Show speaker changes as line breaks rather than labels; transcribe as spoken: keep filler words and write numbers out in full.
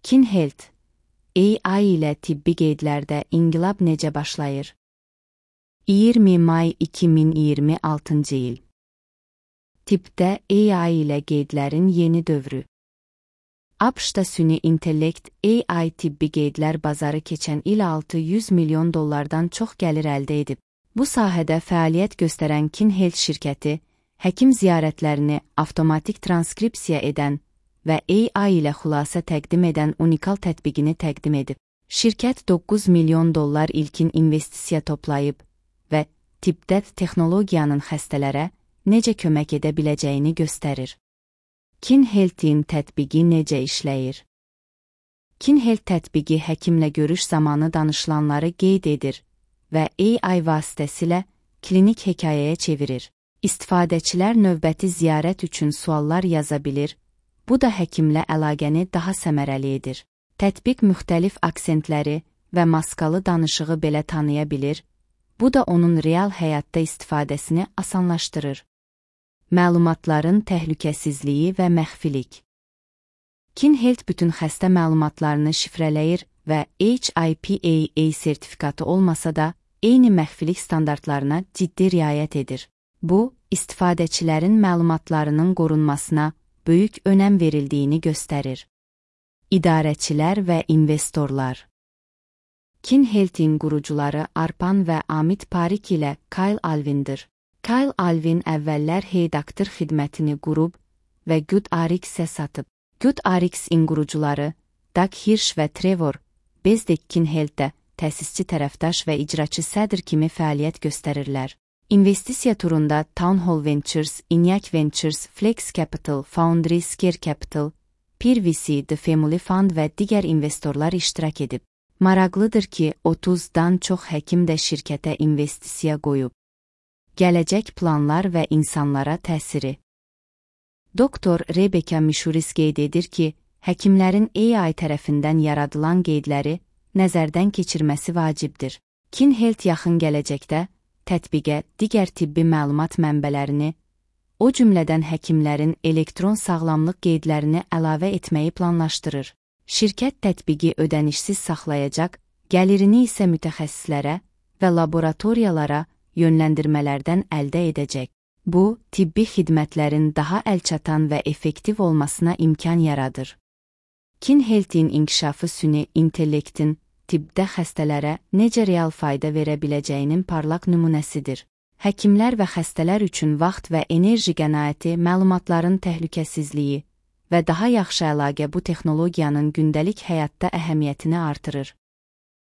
KinHealth A I ilə tibbi qeydlərdə inqilab necə başlayır? iyirmi may iki min iyirmi altıncı il. Tibbdə A I ilə qeydlərin yeni dövrü. ABŞ-da süni intellekt A I tibbi qeydlər bazarı keçən il altı yüz milyon dollardan çox gəlir əldə edib. Bu sahədə fəaliyyət göstərən KinHealth şirkəti, həkim ziyarətlərini avtomatik transkripsiya edən və A I ilə xülasə təqdim edən unikal tətbiqini təqdim edib. Şirkət doqquz milyon dollar ilkin investisiya toplayıb və tibbdə texnologiyanın xəstələrə necə kömək edə biləcəyini göstərir. KinHealth-in tətbiqi necə işləyir? KinHealth tətbiqi həkimlə görüş zamanı danışılanları qeyd edir və A I vasitəsilə klinik hekayəyə çevirir. İstifadəçilər növbəti ziyarət üçün suallar yaza bilir, bu da həkimlə əlaqəni daha səmərəli edir. Tətbiq müxtəlif aksentləri və maskalı danışığı belə tanıya bilir, bu da onun real həyatda istifadəsini asanlaşdırır. Məlumatların təhlükəsizliyi və məxfilik. KinHealth bütün xəstə məlumatlarını şifrələyir və H I P A A sertifikatı olmasa da, eyni məxfilik standartlarına ciddi riayət edir. Bu, istifadəçilərin məlumatlarının qorunmasına böyük önəm verildiyini göstərir. İdarəçilər və investorlar. KinHealth-in qurucuları Arpan və Amit Parikh ilə Kyle Alvindir. Kyle Alvin əvvəllər Heydaktor xidmətini qurub və GoodRx-ə satıb. GoodRx-in qurucuları Doug Hirsch və Trevor Bezdek KinHealth-də təsisçi tərəfdaş və icraçı sədr kimi fəaliyyət göstərirlər. İnvestisiya turunda Town Hall Ventures, Inyak Ventures, Flex Capital, Foundry, Scare Capital, Peer V C, The Family Fund və digər investorlar iştirak edib. Maraqlıdır ki, otuzdan çox həkim də şirkətə investisiya qoyub. Gələcək planlar və insanlara təsiri. Doktor Rebecca Mishuris qeyd edir ki, həkimlərin A I tərəfindən yaradılan qeydləri nəzərdən keçirməsi vacibdir. KinHealth yaxın gələcəkdə tətbiqə digər tibbi məlumat mənbələrini, o cümlədən həkimlərin elektron sağlamlıq qeydlərini əlavə etməyi planlaşdırır. Şirkət tətbiqi ödənişsiz saxlayacaq, gəlirini isə mütəxəssislərə və laboratoriyalara yönləndirmələrdən əldə edəcək. Bu, tibbi xidmətlərin daha əlçatan və effektiv olmasına imkan yaradır. KinHealth-in inkişafı süni intellektin tibbdə xəstələrə necə real fayda verə biləcəyinin parlaq nümunəsidir. Həkimlər və xəstələr üçün vaxt və enerji qənaəti, məlumatların təhlükəsizliyi və daha yaxşı əlaqə bu texnologiyanın gündəlik həyatda əhəmiyyətini artırır.